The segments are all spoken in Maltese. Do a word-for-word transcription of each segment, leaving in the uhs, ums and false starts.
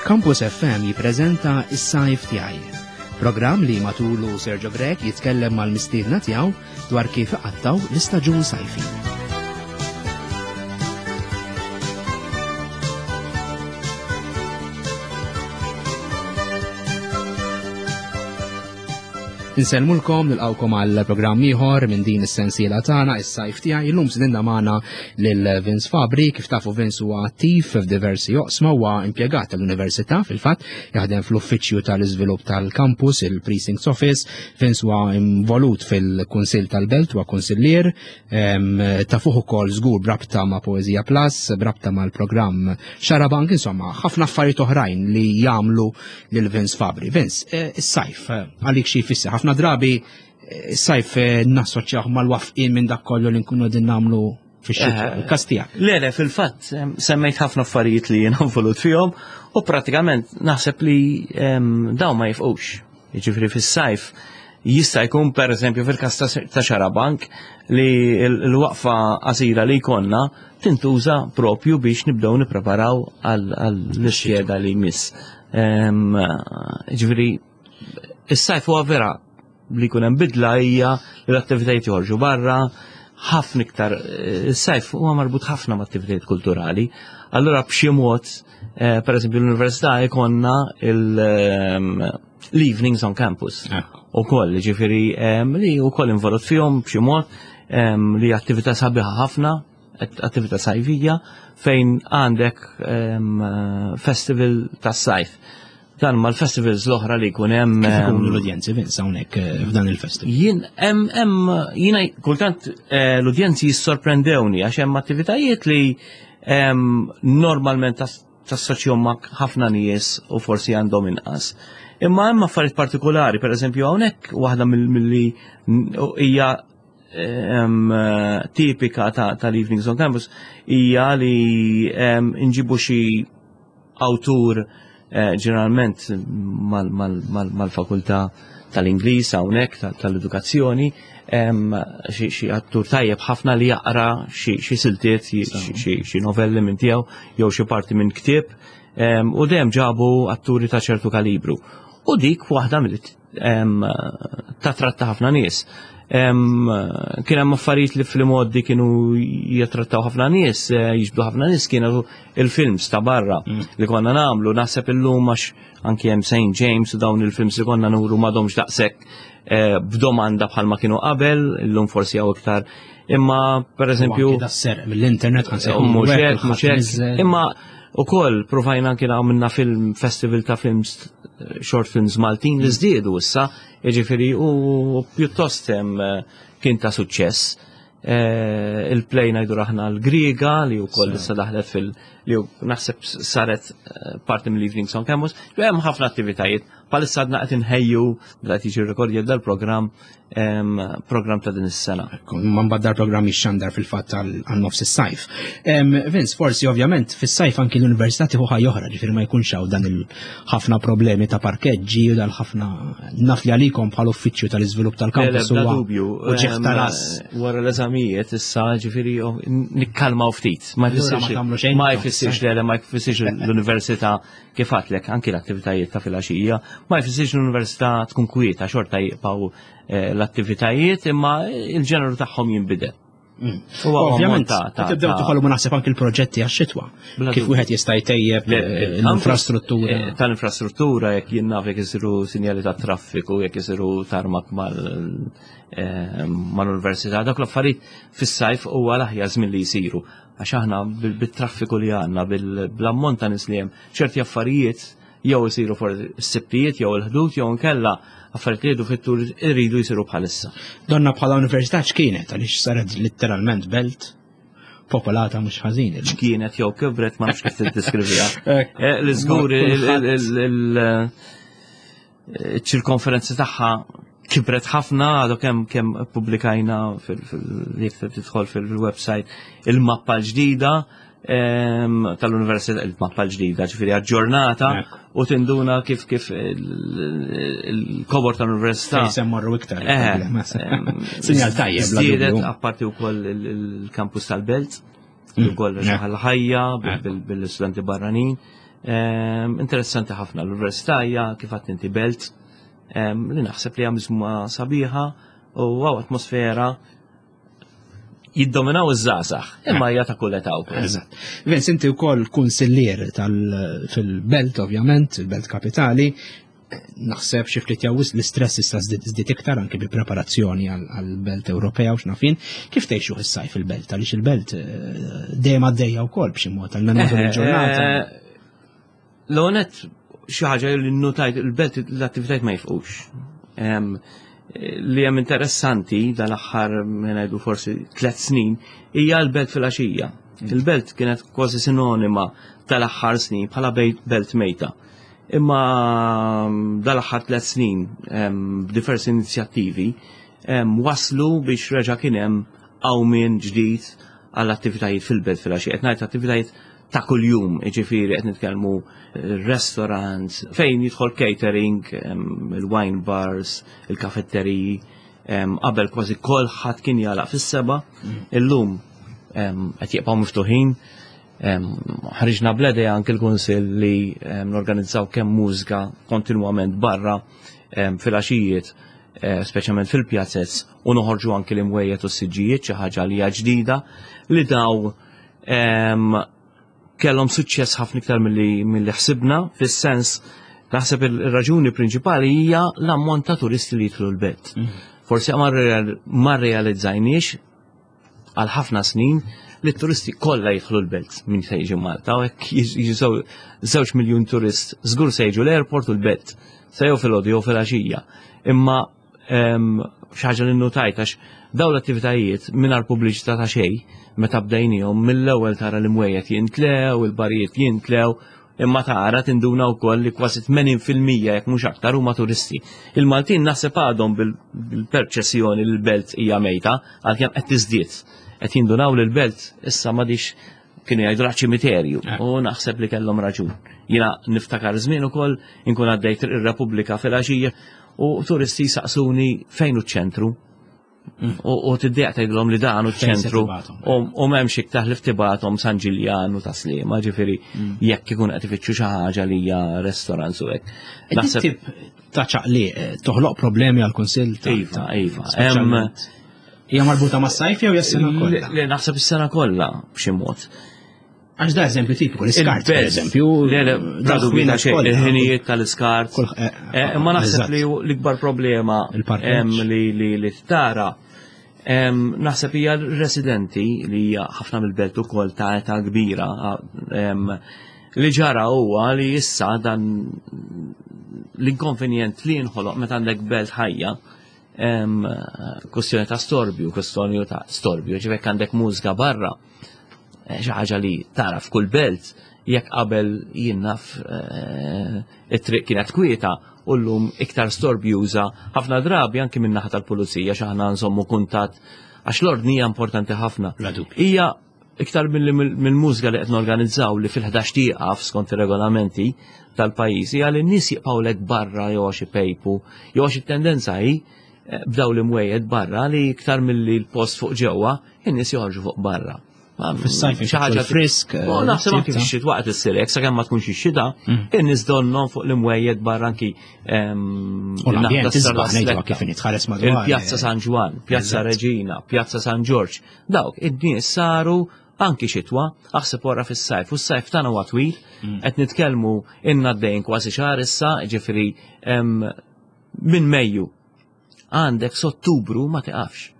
Campus F M jippreżenta Is-Sajf Tiegħi. Programm li matulu Sergio Grech jitkellem mal-mistiedna tiegħu dwar kif iqattaw l-istaġun sajfi. Insellmulkom, nilqawkom għal programm ieħor minn din is-sensiela tagħna Is-Sajf Tiegħi. Illum stedinna magħna lil Vince Fabri. Kif tafu, Vince huwa attiv f'diversi oqsma, huwa impjegat tal-Università, fil-fatt jaħdem fl-uffiċċju tal-iżvilupp tal-campus, il-Precincts Office. Vince huwa involut fil-Kunsill tal-Belt, huwa kunsillier, tafuh ukoll żgur brabta ma' Poesia Plus, brabta mal-programm Xarabank, insomma, ħafna affarijiet oħrajn li jagħmlu lil Vince Fabri. Vince, eh, is-sajf eh, għalik xi jfisser? Ħafna drabi eh, is-sajf nassoċjaw mal-waqfien minn dak kollu li nkunu din nagħmlu fix-xitwa, il-każ tiegħek. Le, le, fil-fatt, semmejt ħafna affarijiet li jiena involut fihom u pratikament naħseb li dawn ma jifqux. Jiġifieri fis-sajf jista' jkun, per eżempju, fil-każ ta' Xarabank li l-waqfa qasira li jkollna tintuża propju biex nibdew nippreparaw għall-iskeda li jmiss. Ġifieri is-sajf huwa vera li jkun hemm bidla, hija li l-attivitajiet joħorġu barra, ħafna iktar, is-sajf huwa marbut ħafna ma' attivitajiet kulturali. Allura b'xi mod, eh, per eżempju, l-università jkollna l-evenings on campus. U koll, ġifieri li u koll involut fihom b'xi mod, li attività sabiħa ħafna, attività sajfija, fejn għandek festival tas-sajf. Dan mal-festivals l-oħra li jkun hemm. Kif ikunu l-udjenzi, Vince, hawnhekk eh, f'dan il-festival? Jien hemm hemm jiena kultant eh, l-udjenzi jissorprendewni għax hemm attivitajiet li normalment tassoċjahom ma' ħafna nies u forsi għandhom inqas. Imma hemm affarijiet partikolari, per eżempju hawnhekk waħda mill-li hija tipika tal-Evenings on Campus hija li nġibu xi awtur, eh, ġeneralment mal-fakultà tal-Ingliż hawnhekk, tal-edukazzjoni, xi attur tajjeb ħafna li jaqra xi siltiet, xi novelli minn tiegħu jew xi parti minn ktieb, u dejjem ġabu atturi ta' ċertu kalibru. U dik waħda mill tatratta ħafna nies. Kien hemm affarijiet li fil-modi kienu jattrattaw ħafna nies, eh, jiġbdu ħafna nies, kienu il-films ta' barra mm. li konna nagħmlu. Naħseb illum għax anki hemm Saint James u dawn il-films li konna nuru m'għadhomx daqshekk eh, b'domanda bħalma kienu qabel, illum forsi hawn iktar. Imma per eżempju. Mill-internet. Mhux imma ukoll provajna anki għamilna film festival ta' films, short films Maltin li żdiedu issa, jiġifieri u pjuttost hemm kien ta' suċċess. Eh, il-play ngħidu aħna l-Griega li wkoll issa daħlet fil li naħseb saret eh, parti mill-Evenings on Campus. Hemm ħafna attivitajiet. Bħalissa għadna qed inħejju, qed jiġi rekordja dal-programm, program ta' din is-sena. Ma mbagħad dal-programm jixxandar fil-fatt għal nofs is-sajf. Vince, forsi ovvjament fis-sajf anki l-università tieħu ħajja oħra, ġifieri ma jkunx hawn dan il-ħafna problemi ta' parkeġġi u dal-ħafna, naf li għalikom bħal uffiċċju tal-iżvilupp tal-kampus huwa dubju. U ta' ras. Wara l-eżamijiet issa, ġifieri, nikkalmaw ftit. Ma jfissirx ma jfissirx li ma jfissirx l-università, kif għedtlek anki l-attivitajiet ta' filgħaxija, ma jfissirx l-università tkun kwieta, xorta jibqgħu eh, l-attivitajiet, imma il-ġeneru tagħhom jinbidel. Mm. Ovvjament, tibdew toħolmu naħseb anki l-proġetti għax-xitwa. Kif wieħed jista' jtejjeb eh, l-infrastruttura. Eh, tal-infrastruttura, jekk jien naf jekk isiru sinjali ta' traffiku, jekk isiru tarmak mal-università, dak l-affarijiet fis-sajf huwa l-aħjar żmien li jsiru. Għax aħna bil-traffiku li għandna, bil-ammont ta' nies li hemm, ċerti affarijiet jew isiru for s-sibtijiet jew il-Ħdud jew nkella affarijiet li jridu fit-tul iridu jsiru bħalissa. Donna bħala università x'kienet, għaliex saret litteralment belt popolata mhux ħażin. X'kienet jew kibret, ma nafx kif tiddeskriviha. Eh, l-żgur il-ċirkonferenza tagħha kibret ħafna, għadu kemm kemm publikajna fil-jekk tidħol fil-website il-mappa l-ġdida tal-università, il-mappa l-ġdida, ġifieri aġġornata, u tinduna kif kif il-kobor tal-università. Fejn morru iktar. Sinjal tajjeb. Żdiedet, apparti wkoll il-campus tal-Belt, mm. ukoll ħajja bil-istudenti barranin. Interessanti ħafna l-università hija kif għedt inti belt li naħseb li hija sabiħa u għaw atmosfera jiddominaw iż-żgħażagħ, imma hija ta' kull età wkoll. Eżatt. Vince, inti wkoll kunsillier fil-belt ovvjament, il-belt kapitali, naħseb xi ftit jew l-istress issa żdied iktar anke bi preparazzjoni għall-belt Ewropea u x'naf jien. Kif tgħixu is-sajf fil-belt? Għaliex il-belt eh, dejjem għaddejja wkoll b'xi mod għal matul il-ġurnata. Eh, L-onet xi ħaġa li notajt il-belt l-attivitajiet ma jieqfux. Li hemm interessanti dal-aħħar ngħidu forsi tliet snin hija l-belt fil-għaxija. Mm. Il-belt kienet kważi sinonima tal-aħħar snin bħala belt mejta. Imma dal-aħħar tliet snin b'diversi inizjattivi waslu biex reġa' kien hemm qawmien ġdid għall-attivitajiet fil-belt fil-għaxija. Qed ngħid attivitajiet ta' kuljum, ġifieri qed nitkellmu restaurants, fejn jidħol catering, il-wine bars, il-kafetteriji, qabel kważi kulħadd kien jagħlaq fis-seba, mm. illum qed jibqgħu miftuħin. Ħriġna bl-idea anke l-kunsill li norganizzaw kemm mużika kontinwament barra fil-għaxijiet, eh, speċjalment fil-pjazzez, u noħorġu anke l-imwejjed u s-siġġijiet, xi ħaġa li hija ġdida li daw kellhom suċċess ħafna iktar milli ħsibna, fis-sens naħseb il-raġuni prinċipali hija l-ammont ta' turisti li jidħlu l-belt. Mm. Forsi ma realizzajniex għal ħafna snin li t-turisti kollha jidħlu l-belt minn se jiġu Malta, u hekk jiġu żewġ miljun turist żgur se jiġu l-airport u l-belt, se jew filgħodu jew filgħaxija. Imma xi ħaġa li notajt għax daw l-attivitajiet mingħajr pubbliċità ta' xejn meta bdejnihom mill-ewwel tara l-imwejjed jintlew, il-barijiet jintlew, imma tara tinduna wkoll li kważi tmenin fil-mija jekk mhux aktar huma turisti. Il-Maltin naħseb għadhom bil-perċessjoni li l-belt hija mejta għalkemm qed tiżdied. Qed jindunaw li l-belt issa m'għadix kienu jgħidu ċimiterju eh. u naħseb li kellhom raġun. Jiena niftakar żmien ukoll inkun għaddejt ir-Repubblika fil-għaxija u turisti saqsuni fejn hu ċ-ċentru. Mm. U tiddejjaq tgħidilhom li dan hu ċ-ċentru u m'hemmx iktar li tibgħathom San Ġiljan u Tas-Sliema, ġifieri mm. jekk ikun qed ifittxu xi ħaġa li hija restaurants u hekk. Naħseb ta' ċaqli eh, toħloq problemi għal-kunsill. Iva, iva. Hija marbuta mas-sajf jew is-sena kollha? Le, naħseb is-sena kollha b'xi mod. Għax da eżempju tipiku, l-iskart, per eżempju. Le, le, bla xejn, il-ħinijiet tal-iskart. Eh, eh, imma naħseb li l-ikbar problema li li tara naħseb hija l-residenti li hija ħafna mill-belt ukoll ta' età kbira li ġara huwa li issa dan l-inkonvenjent li jinħoloq meta għandek belt ħajja kwestjoni ta' storbju, kwestjoni ta' storbju, ġifieri għandek mużika barra, eh, xi ħaġa li tara f'kull belt, jekk qabel jien naf eh, it-triq kienet kwieta u llum iktar storbjuża, ħafna drabi anki min-naħa tal-pulizija x'aħna nżommu kuntatt għax l-ordni hija importanti ħafna. Hija iktar mill-mużika li qed norganizzaw li fil-ħdax tieqaf skont ir-regolamenti tal-pajjiż hija li n-nies jibqgħu barra jew għax ipejpu jew għax it-tendenza hi eh, b'daw l-imwejjed barra li iktar milli l-post fuq ġewwa, in-nies joħorġu fuq barra. Fis-sajf xi ħaġa frisk. U eh, naħseb anki fix-xitwa waqt issir hekk sakemm ma tkunx ix-xita, mm. in-nies donnhom fuq l-imwejjed barra anki U l-ambjent isbaħ ngħidu kif tħares madwar. Il-Pjazza San Ġwann, Pjazza Reġina, Pjazza San Ġorġ. Dawk id-nies saru anki xitwa, aħseb wara fis-sajf, u s-sajf tagħna huwa twil, mm. qed nitkellmu inna għaddejn kważi xahar issa, ġifieri minn Mejju għandek s'Ottubru ma tiqafx.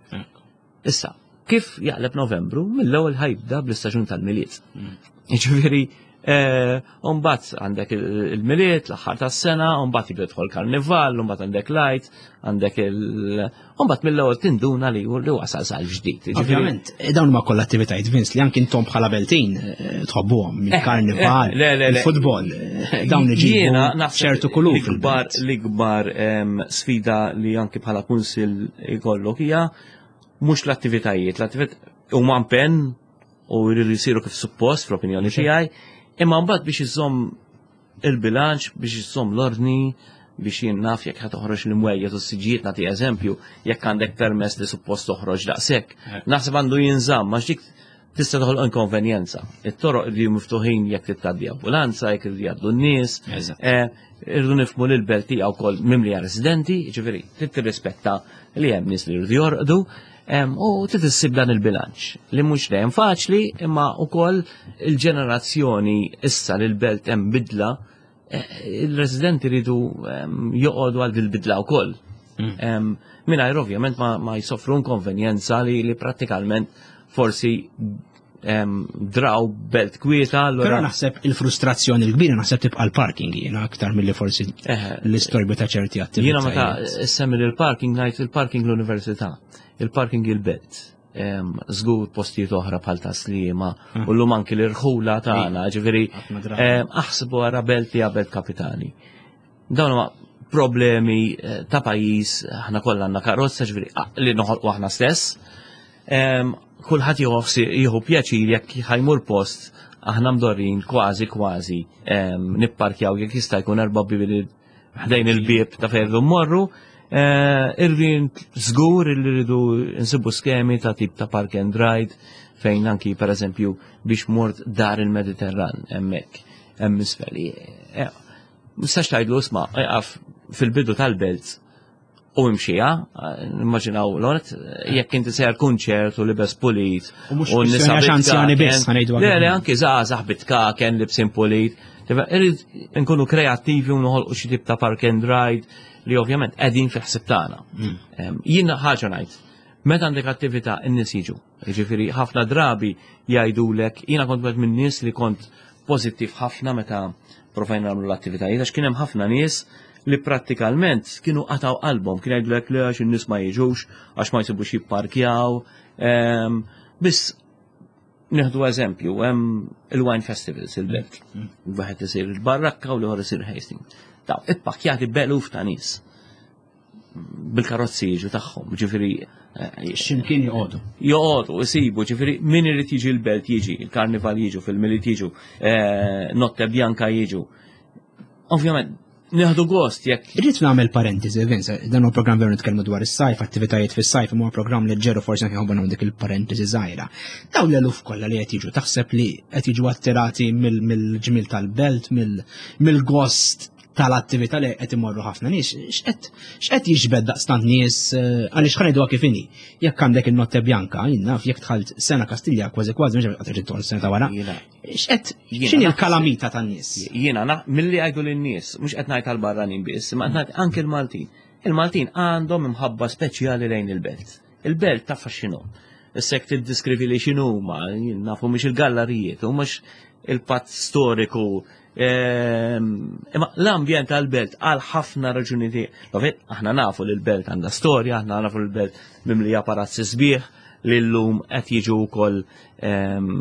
Issa, kif jaqleb Novembru, mill-ewwel ħa jibda bl-istaġun tal-Milied. Mm. Ġifieri, eh, Umbagħad għandek il-Milied, l-aħħar tas-sena, umbagħad jibda jidħol karnival, umbagħad għandek l-Għid, għandek il- Umbagħad mill-ewwel tinduna li li wasal sal ġdid. Ovvjament, eh, dawn huma kollha attivitajiet Vince li anki intom bħala Beltin eh, tħobbuhom, il-karnival, il-futbol, dawn iġibu ċertu kulur. L-ikbar l-ikbar sfida li anki bħala kunsill ikollok hija mhux l-attivitajiet, l-attivitajiet huma impenn u jridu jsiru kif suppost fl-opinjoni tiegħi, imma mbagħad biex iżomm il-bilanċ, biex iżomm l-ordni, biex jien naf jekk ħa toħroġ l-imwejjed u s-siġijiet nagħti eżempju, jekk għandek permess li suppost toħroġ daqshekk. Eh. Naħseb għandu jinżamm, għax dik Tista' toħolq inkonvenjenza. It-toroq li miftuħin jekk tgħaddi ambulanza, jekk jgħaddu n-nies. Eh, irridu nifhmu li l-belt hija wkoll mimlija residenti, ġifieri trid tirrispetta li hemm nies li jridu jorqdu. U trid issib dan il-bilanċ li mhux dejjem faċli, imma wkoll il-ġenerazzjoni issa li l-belt hemm bidla, eh, il-residenti jridu joqogħdu għal dil-bidla wkoll. Mm. Mingħajr ovvjament ma jsofru inkonvenjenza li li prattikalment forsi draw belt kwieta. Però naħseb il-frustrazzjoni l-kbira naħseb tibqa' l-parking jiena aktar milli forsi l-istorbju ta' ċerti attivitajiet. Jiena meta semmi il-parking ngħid il-parking l-università, il-parking il-belt. Żgur postijiet oħra bħal Tas-Sliema mm. u llum anki l-irħula tagħna, ġifieri aħsbu għara belt li belt kapitali. Dawn huma problemi eh, ta' pajjiż, aħna kollha għandna karozza, ġifieri li noħolqu aħna stess. Kulħadd jieħu pjaċir jekk ħa jmur post aħna mdorrin kważi kważi nipparkjaw jekk jista' jkun erba' bibi ħdejn il-bieb ta' fejn mmorru. Eh, Irrid żgur li rridu nsibu skemi ta' tip ta' park and ride fejn anki per eżempju biex mort dar il-Mediterran hemmhekk hemm isfel. Eh, Mistax tgħidlu isma' iqaf fil-bidu tal-belt u imxija, immaġinaw l-għonet, jekk inti sejjer kunċert u libes pulit. U mhux nisa anzjani biss, ħa ngħidu. Le, le, anki żgħażagħ bit-tkaken libsin pulit. Irrid nkunu kreattivi u noħolqu xi tip ta' park and ride li ovvjament qegħdin fi ħsieb tagħna. Mm. Jiena ħaġa ngħid, meta għandek attività n-nies jiġu. Jiġifieri ħafna drabi jgħidulek, jiena kont wieħed minn nies li kont pożittiv ħafna meta provajna nagħmlu l-attivitajiet għax kien hemm ħafna nies li prattikalment kienu qataw qalbhom, kien jgħidulek li għax in-nies ma jiġux, għax ma jsibux jipparkjaw. Biss nieħdu eżempju, hemm il-wine festivals il-belt. Wieħed isir il-Barrakka u l-ieħor isir Hastings. Daw, ippakkjati b'eluf ta' nies bil-karozzi jiġu tagħhom, ġifieri eh, x'imkien joqogħdu. Joqogħdu, isibu, ġifieri min irid jiġi l-belt jiġi, il-karnival jiġu, fil-Milied jiġu, eh, Notte Bianca jiġu. Ovvjament, nieħdu gost jekk. Irrid nagħmel parentesi, Vince, dan huwa programm veru nitkellmu dwar is-sajf, attivitajiet fis-sajf, huwa programm leġġeru forsi anke nħobbu dik il-parentesi żgħira. Dawn l-eluf kollha li qed jiġu taħseb li qed jiġu attirati mill-ġmil tal-belt, mill-gost tal-attività li qed imorru ħafna nies, x'qed jiġbed daqstant nies eh, għaliex ħa ngħiduha kif inhi. Jekk għandek il-Notte Bianca, jien naf jekk dħalt sena Kastilja kważi kważi mhux qed tidħol sena ta' wara. X'qed x'inhi l-kalamita tan-nies? Jiena milli jgħidu lin-nies, mhux qed ngħid għall-barranin biss, ma qed ngħid anke l-Maltin. Il-Maltin għandhom imħabba speċjali lejn il-belt. Il-belt taffaxxinhom. Issa jekk tiddiskrivi li x'inhuma, nafu mhux il-gallerijiet, u mhux il-patt storiku. Ehm, imma l-ambjent tal-belt għal ħafna raġuni. Aħna nafu li l-belt għandha storja, aħna nafu li l-belt mimlija palazzi sbieħ li llum qed jiġu wkoll ehm,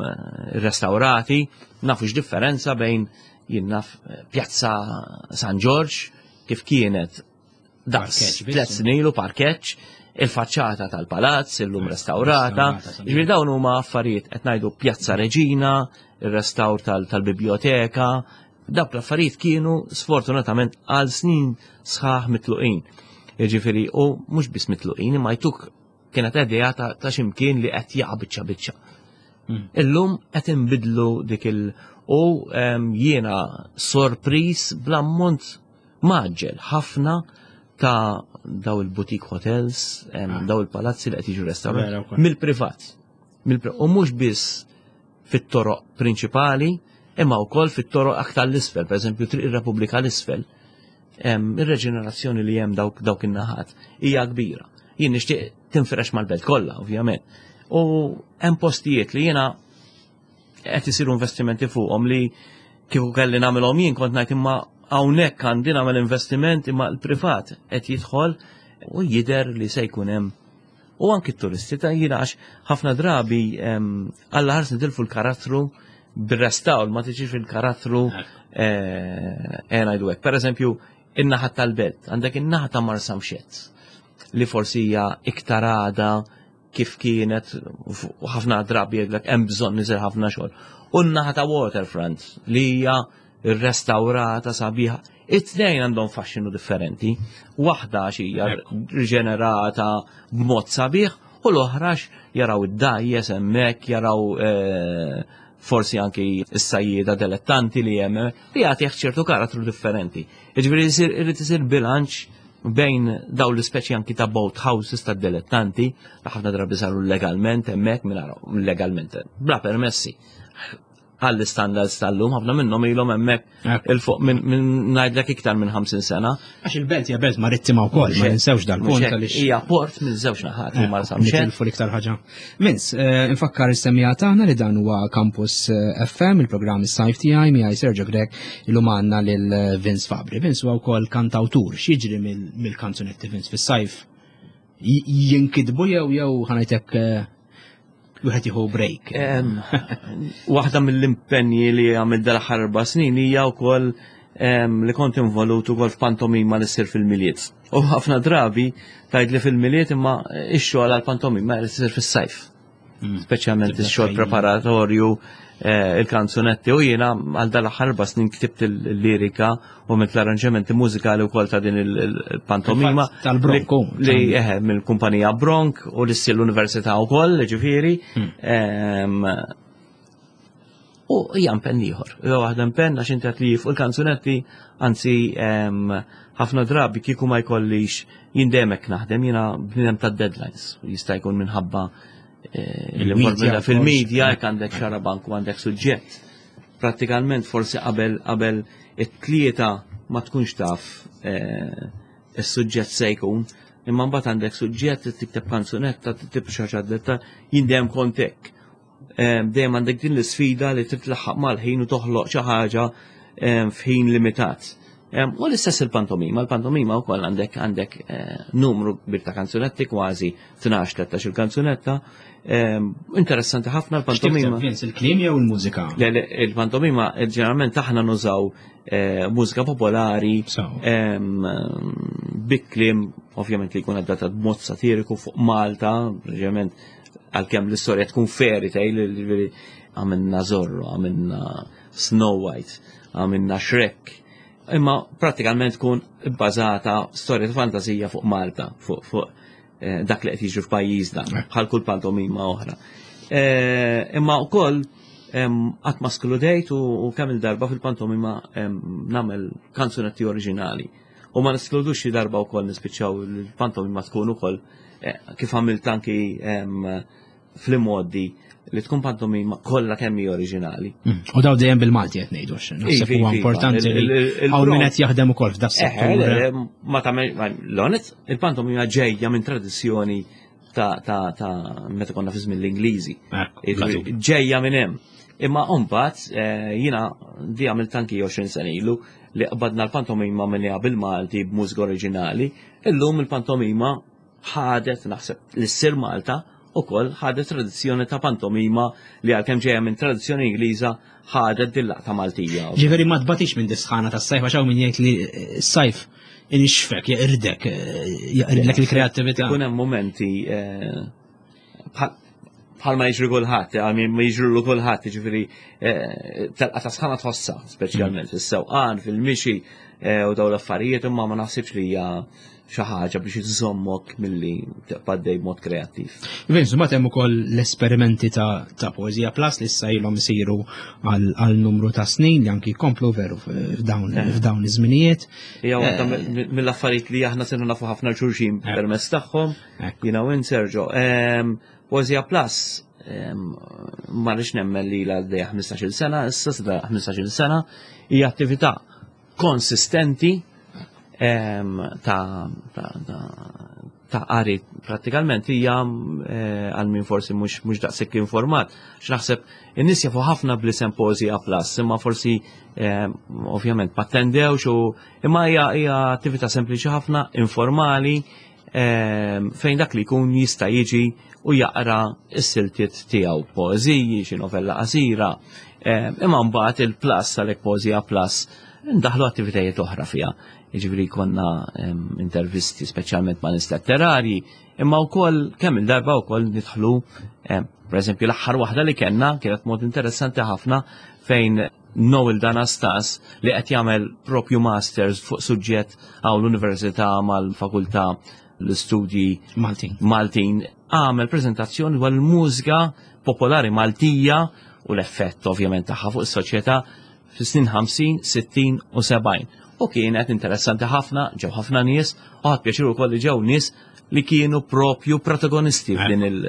restaurati. Nafu x'differenza bejn jien naf Pjazza San Ġorġ kif kienet daqs tliet snin ilu parkeġġ, il-faċċata tal-palazz illum restaurata. Ġifieri dawn huma affarijiet qed ngħidu Pjazza Reġina, ir-restawr tal-biblioteka, dawk l-affarijiet kienu sfortunatament għal snin sħaħ mitluqin. Jiġifieri u mhux biss mitluqin, imma jtuk kienet idea ta' x'imkien li qed jaqa' biċċa biċċa. Hmm. Illum qed inbidlu dik il- u jiena sorpriż bl-ammont mgħaġġel ħafna ta' daw il-boutique hotels, ah. daw il-palazzi li qed jiġu restawrati mill-privat. U mhux biss fit-toroq prinċipali, imma wkoll fit-toroq aktar l-isfel, per eżempju Triq ir-Repubblika l-isfel. Ir-reġenerazzjoni li hemm dawk dawk in-naħat hija kbira. Jien nixtieq tinfirex mal-belt kollha, ovvjament. U hemm postijiet li jiena qed isiru investimenti fuqhom li kieku kelli nagħmilhom jien kont ngħid imma hawnhekk għandi nagħmel investiment imma l-privat qed jidħol u jidher li se jkun hemm u anki t-turisti ta' jiena għax ħafna drabi Alla ħares nitilfu l-karattru bir-restawr ma tiġix il-karattru eh, ngħidu hekk. Per eżempju, in-naħa tal-belt, għandek in-naħa ta' Marsamxett li forsi hija iktar għada kif kienet u ħafna drabi jgħidlek hemm bżonn isir ħafna xogħol. U n-naħa ta' Waterfront li hija rrestawrata sabiħa. It-tnejn għandhom faxxinu differenti. Waħda għax hija riġenerata b'mod sabiħ U l-oħra jaraw id-dgħajjes hemmhekk, jaraw eh, forsi anki s-sajjieda dilettanti li hemm, li jagħtih ċertu karattru differenti. Jiġifieri irid isir bilanċ bejn daw l-ispeċi anki ta' boat houses ta' dilettanti, li ħafna drabi saru legalment hemmhekk minn legalment, bla permessi għall-standards tal-lum, ħafna minnhom ilhom hemmhekk 'il fuq minn ngħidlek iktar minn ħamsin sena. Għax il-belt hija belt marittima wkoll, ma ninsewx dal-punt għaliex. Hija port minn żewġ naħat u Marsa Nitilfu l-iktar ħaġa. Vince, eh, infakkar is-semmiegħa tagħna li dan huwa Campus eh, F M, il-programm is-sajf tiegħi, miegħi Sergio Grech, illum għandna lil eh, Vince Fabri. Vince huwa wkoll kantawtur, x'jiġri mill-kanzunetti, Vince, fis-sajf? Jinkitbu jew jew ħa ngħidlek wieħed jieħu break? Waħda mill-impenji li għamil dal-aħħar erba' snin hija wkoll li kont involut ukoll f'pantomima li ssir fil-Milied. U ħafna drabi tgħid li fil-Milied, imma ix-xogħol għall-pantomima li ssir fis-sajf. Mm. Speċjalment ix-xogħol preparatorju, eh, il-kanzunetti, u jiena għal dal-aħħar erba' snin ktibt il-lirika u mit l-arranġamenti mużikali wkoll ta' din il-pantomima. Tal-Bronk. Li eħe mill-kumpanija Bronk u li ssir l-università wkoll, ġifieri. Hmm. U hija impenn ieħor. Hija waħda impenn għax inti li fuq il-kanzunetti, anzi ħafna drabi kieku ma jkollix jien dejjem naħdem, jiena bniedem ta' deadlines. Jista' jkun minħabba eh, l-involviment fil-media, jekk għandek xarabank u għandek suġġett. Prattikalment forsi qabel qabel it-tlieta ma tkunx taf eh, is-suġġett se jkun, imma mbagħad għandek suġġett, tikteb kanzunetta, tikteb xi ħaġa, jien dejjem kont hekk. Dejjem għandek din l-isfida li trid tlaħħaq mal-ħin u toħloq xi ħaġa f'ħin limitat. U l-istess il-pantomima, il-pantomima wkoll għandek għandek eh, numru kbir ta' kanzunetti, kważi tnax tlettax il-kanzunetta. Interessanti ħafna l-pantomima. Il-kliem jew il-mużika? Il-pantomima ġeneralment aħna nużaw eh, mużika popolari bi kliem ovvjament li jkun adattat b'mod satiriku fuq Malta, ovvjament għalkemm l-istorja tkun fairy tale, għamilna Zorro, għamilna Snow White, għamilna Shrek, imma pratikament tkun bbażata storja ta' fantasija fuq Malta, fuq fuq eh, dak li qed jiġri f'pajjiżna, bħal kull pantomima oħra. Eh, imma wkoll qatt ma skludejt u kemm il-darba fil-pantomima nagħmel kanzunetti oriġinali. U ma neskludux xi darba wkoll nispiċċaw il-pantomima tkun ukoll eh, kif għamilt anki fl-modi li tkun pantomima kollha kemm hi oriġinali. Mm. U daw dejjem bil-Malti qed ngħidu, naħseb huwa importanti li hawn min qed jaħdem ukoll f'da settur. Ma tagħmel l-onet, il-pantomima ġejja minn tradizzjoni ta' ta' ta' meta konna fi żmien l-Ingliżi. Ġejja minn hemm. Imma mbagħad eh, jiena di għamilt anki għoxrin sena ilu li qbadna l-pantomima minn bil-Malti b'mużika oriġinali, illum il-pantomima ħadet, naħseb li ssir Malta ukoll ħadet tradizzjoni ta' pantomima li għalkemm ġejja minn tradizzjoni Ingliża ħadet dil-laqta Maltija. Ġifieri ma tbatix minn dis-sħana tas-sajf, għax hawn min jgħid li s-sajf inixfek, jeqirdek, jeqirdlek il-kreattività. Ikun hemm momenti eh, bħalma jiġri kulħadd, għal ma jiġri kulħadd, jiġifieri eh, telqa ta' sħana tħossa, speċjalment fis-sewqan, fil-mixi eh, u dawn l-affarijiet, imma ma naħsibx li hija xi ħaġa biex iżommok milli tibqa' dej b'mod kreattiv. Vince, ma hemm ukoll l-esperimenti ta' ta' Poesia Plus li issa ilhom isiru għal numru ta' snin li anki jkomplu veru f'dawn eh. f'dawn iż-żminijiet. Hija waħda eh. mill-affarijiet li aħna sirna nafu ħafna xulxin eh. permezz tagħhom. Jiena u Sergio. Ehm, Poesia Plus ehm, ma rridx nemmen li la għaddejja ħmistax-il sena, issa ħmistax-il sena, hija attività konsistenti ta' ta' qari prattikalment hija eh, għal min forsi mhux mhux daqshekk informat. X'naħseb in-nies jafu ħafna bl-isem Poesia Plus, imma forsi ovvjament ma tendewx u imma hija hija attività sempliċi ħafna, informali, fejn dak li jkun jista' jiġi u jaqra s-siltiet tiegħu, poeżiji, xi novella qasira. Imma mbagħad il-plus għalhekk Poesia Plus ndaħlu attivitajiet oħra fiha. Jiġifieri konna intervisti speċjalment ma' nies letterarji, imma wkoll kemm il-darba wkoll nidħlu, pereżempju l-aħħar waħda li kellna kienet mod interessanti ħafna fejn Noel Danastas li qed jagħmel propju masters fuq suġġett hawn l-Università mal-Fakultà l-Istudji Maltin. Maltin Għamel prezentazzjoni dwar il-mużika popolari Maltija u l-effett ovvjament tagħha fuq is-soċjetà fis-snin ħamsin, sittin u sebgħin. U kienet interessanti ħafna, ġew ħafna nies, u ħadt pjaċir ukoll li ġew nies li kienu propju protagonisti f'din il-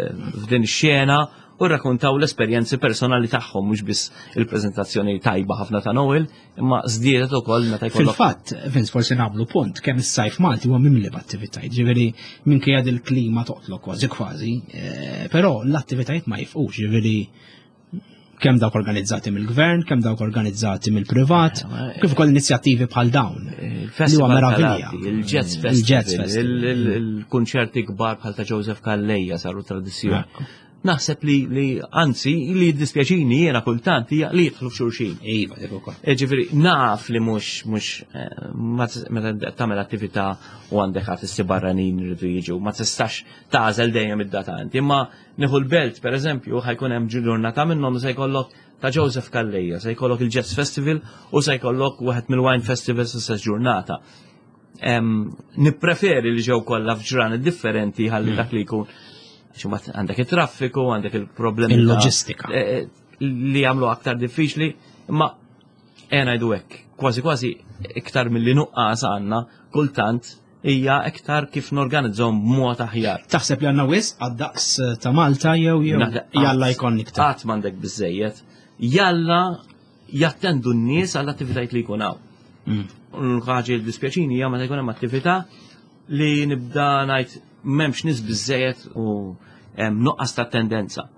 ix-xena u rrakkontaw l-esperjenzi personali tagħhom, mhux biss il-preżentazzjoni tajba ħafna ta' Noel, imma żdiedet ukoll meta jkollok. Fil-fatt, Vince, forsi nagħmlu punt kemm is-sajf Malti huwa mimli b'attivitajiet, ġifieri minkejja il-klima toqtlok kważi kważi, eh, però l-attivitajiet ma jifqux, ġifieri kemm dawk organizzati mill-gvern, kemm dawk organizzati mill-privat, kif ukoll inizjattivi bħal dawn. Il-Festival Li huwa meravilja. tal-Arti, il-Jazz Il-Jazz Festival, Festival. il- il- il-kunċerti kbar bħal ta' Joseph Calleja saru tradizzjoni. Ekku. Naħseb li, li anzi, li jiddispjaċini jiena kultant hija li jidħlu f'xulxin. Iva, dik ukoll. E, Ġifieri, naf li mhux mhux eh, ma tis- meta tagħmel attività u għandek artisti barranin iridu jiġu, ma tistax tagħżel dejjem id-data inti. Imma nieħu l-Belt, per eżempju, ħa jkun hemm ġurnata minnhom se jkollok ta' Joseph Calleja, se jkollok il-Jazz Festival u se jkollok wieħed mill-Wine Festivals istess ġurnata. Em, Nippreferi li ġew kollha f'ġranet differenti ħalli dak li jkun, għax imbagħad għandek it-traffiku, għandek il-problemi ta' Il-loġistika. eh, eh, li jagħmlu aktar diffiċli, imma ejja ngħidu hekk, kważi kważi iktar milli nuqqas għandna kultant hija iktar kif norganizzahom b'mod aħjar. Taħseb li għandna wisq għad-daqs ta' Malta jew jew Naħseb jalla qatt- jkun iktar? Qatt m'għandek biżejjed. Jalla jattendu n-nies għall attivitajiet li jkun hawn. Mm. L-ħaġa li dispjaċini hija meta jkun hemm attività li nibda ngħid m'hemmx nies biżejjed u hemm nuqqas ta' tendenza.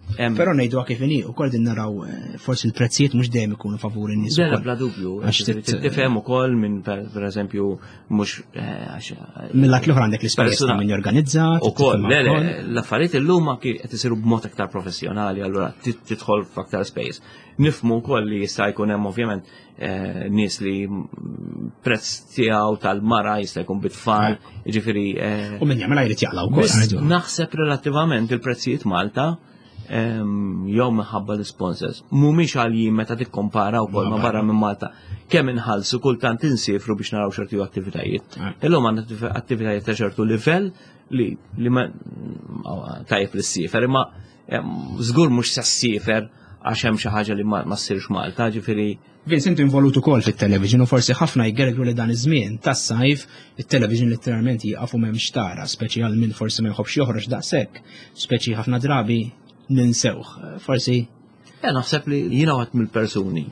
Hemm- Però ngħidu kif inhi, ukoll din naraw eh, forsi l-prezzijiet mhux dejjem ikunu favur in-nies Dela ukoll. bla dubju, Għax tit- tifhem ukoll minn per per eżempju mhux eh, għax Mill-lat l-oħra għandek l-ispejjeż ta' Persuna- min jorganizza, Ukoll, tifhimha le, le, wkoll. l-affarijiet illum anki qed isiru b'mod aktar professjonali, allura tit- tidħol f'aktar space. Nifhmu wkoll li jista' jkun hemm ovvjament eh, nies li mm, prezz tiegħu tal-mara jista' jkun bit-tfal, jiġifieri eh, U min jagħmilha jrid jaqla' wkoll. Biss ngħidu. naħseb relattivament il-prezzijiet Malta em, jew minħabba l-sponsors mhumiex għaljin meta tikkompara wkoll ma barra minn Malta, kemm inħallsu kultant insifru biex naraw ċertu attivitajiet. Illum għandna attiv- attivitajiet ta' ċertu livell li li ma tajjeb li ssifer, imma em, żgur mhux se ssifer għax hemm xi ħaġa li ma ma ssirx Malta, ġifieri. Vince, inti involut ukoll fit-television u forsi ħafna jgergru li dan iż-żmien tas-sajf it-television letteralment jieqaf u m'hemmx tara, speċi għal min forsi ma jħobbx joħroġ daqshekk, speċi ħafna drabi ninsewh. Forsi Ja, naħseb li jiena waħed mill-persuni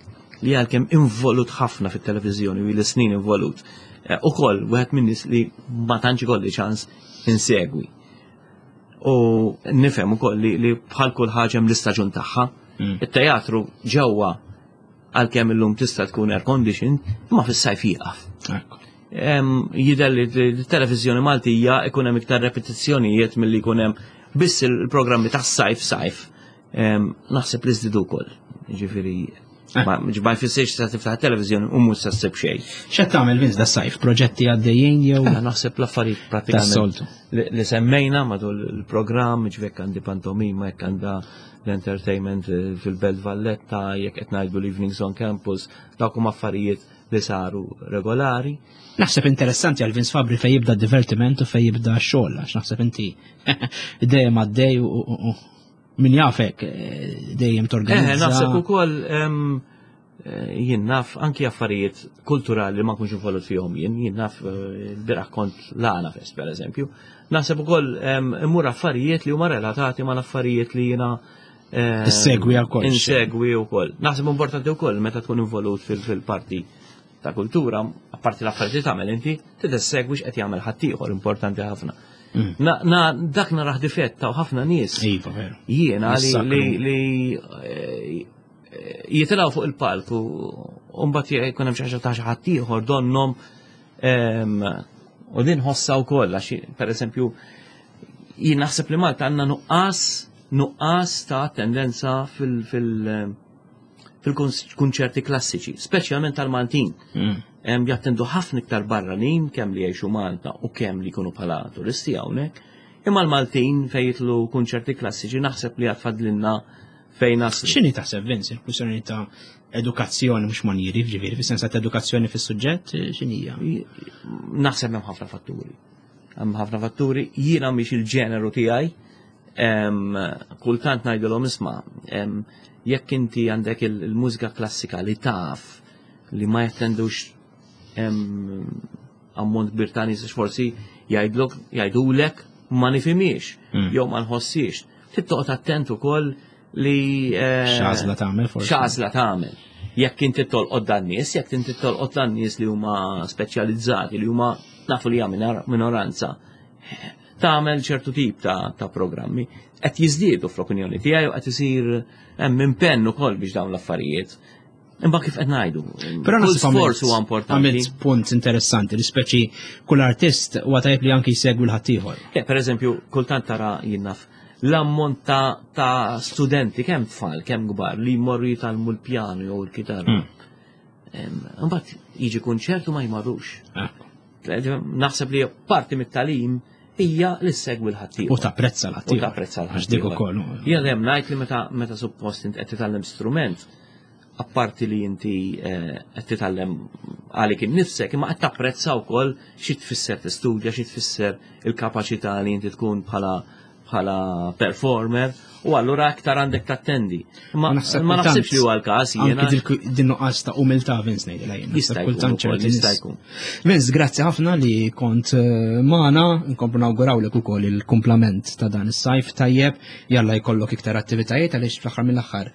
li għalkemm involut ħafna fit-televiżjoni u l-snin involut. Eh, Ukoll wieħed minn nies li ma tantx ikolli ċans insegwi. U nifhem ukoll li, li bħal kull ħaġa hemm l-istaġun tagħha. Mm. It-teatru ġewwa, għalkemm illum tista' tkun air condition, imma fis-sajf jieqaf. Ekku. Em, Jidher li l-televiżjoni Maltija ikun hemm iktar repetizzjonijiet milli jkun hemm biss il-programmi tas-sajf sajf. Em, Naħseb li żdiedu wkoll. Ġifieri ma ma jfissirx se tiftaħ televiżjoni u mhux se ssib xejn. X'qed tagħmel, Vince, das-sajf? Proġetti għaddejjin jew Eh, Naħseb l-affarijiet pratikament tas-soltu? li li semmejna matul il-programm, ġifieri għandi pantomima, jekk għandha l-entertainment eh, fil-Belt Valletta, jekk qed ngħidu l-Evenings on Campus, dawk huma affarijiet li saru regolari. Naħseb interessanti għal Vince Fabri fej jibda divertiment u fej jibda xogħol, għax naħseb inti dejjem għaddej u- u u- min jafek eh, dejjem Eh, torganizza. naħseb ukoll em, eh, jien naf anki affarijiet kulturali li ma nkunx involut fihom jien, jien naf eh, il-bieraħ kont l-Għana Fest per eżempju. Naħseb ukoll em, immur affarijiet li huma relatati ma l-affarijiet li jiena em, Issegwi għal kollox. Insegwi wkoll. Naħseb importanti wkoll meta tkun involut fil- fil-parti ta' kultura, apparti l-affarijiet li tagħmel inti, trid issegwi x'qed jagħmel ħaddieħor, importanti ħafna. Mm. Na, na, dak narah difett ta' ħafna nies Iva, veru. jiena li Jissakru. li li eh, jitilgħu fuq il-palk u u mbagħad jkun hemm xi ħaġa ta' xi ħadd ieħor donnhom em, u din ħossa wkoll għax, pereżempju, jien naħseb li Malta għandna nuqqas nuqqas ta' tendenza fil fil fil-kunċerti klassiċi, speċjalment tal-Maltin. Mm. Em, Jattendu ħafna iktar barranin, kemm li jgħixu Malta u kemm li jkunu bħala turisti hawnhekk. Imma l-Maltin fejn jitlu kunċerti klassiċi naħseb li għad fadlilna fejn naslu. X'inhi taħseb, Vince, il-kwistjoni ta' edukazzjoni, mhux manjieri, ġifieri, fis-sens ta' edukazzjoni fis-suġġett, x'inhija? Naħseb hemm ħafna fatturi. Hemm ħafna fatturi, jiena mhix il-ġeneru tiegħi, Kultant ngħidilhom isma', jekk inti għandek il-mużika klassika li taf li ma jattendux ammont kbir ta' nies, forsi jgħidlok jgħidulek ma nifhimiex jew ma nħossiex. Trid toqgħod attent ukoll li x'għażla tagħmel forsi. X'għażla tagħmel. Jekk inti tolqot dan nies, jekk inti tolqot dan nies li huma speċjalizzati, li huma nafu li hija minoranza, tagħmel ċertu tip ta', ta' programmi. Qed jiżdiedu fl-opinjoni tiegħi u qed isir hemm impenn ukoll biex dawn l-affarijiet. Imma kif qed ngħidu, Però kull naħseb sforz huwa importanti. Għamilt punt interessanti li speċi kull artist huwa tajjeb li anki jsegwi l-ħaddieħor. Eh, per eżempju, kultant tara jien naf l-ammont ta', ta' studenti, kemm tfal, kemm kbar, li jmorru jitgħallmu l-pjanu jew l-kitarra. Imbagħad jiġi kunċertu ma jmarrux. Naħseb li parti mit-tagħlim hija li ssegwi l-ħaddieħor. U tapprezza l-ħaddieħor. U tapprezza l-ħaddieħor. Għax dik ukoll. Jien dejjem ngħid li meta meta suppost int qed titgħallem strument, apparti li inti qed titgħallem għalik innifsek, imma qed tapprezza wkoll xi tfisser tistudja, xi tfisser il-kapaċità li inti tkun bħala bħala performer, u allura aktar għandek tattendi. Ma ma naħsibx li huwa l-każ jiena. Anki din nuqqas ta' umiltà Vince ngħidilha jien. Jista' jkun ukoll, jista' jkun. Vince, grazzi ħafna li kont magħna, nkomplu nawgurawlek ukoll il-kumplament ta' dan is-sajf tajjeb, jalla jkollok iktar attivitajiet għaliex fl-aħħar mill-aħħar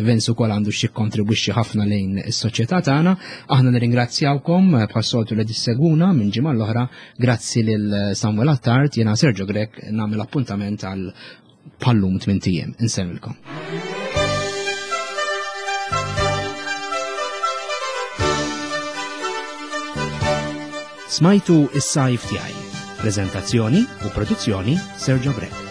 Vince ukoll għandu xi kontribwixxi ħafna lejn is-soċjetà tagħna. Aħna nirringrazzjawkom bħas-soltu li tissegwuna minn ġimgħa l-oħra. Grazzi lil Samuel Attard, jiena Sergio Grech nagħmel appuntament għal pallum tmint ijiem. Insellmilkom. Smajtu is-sajf tiegħi. Prezentazzjoni u produzzjoni Sergio Grech.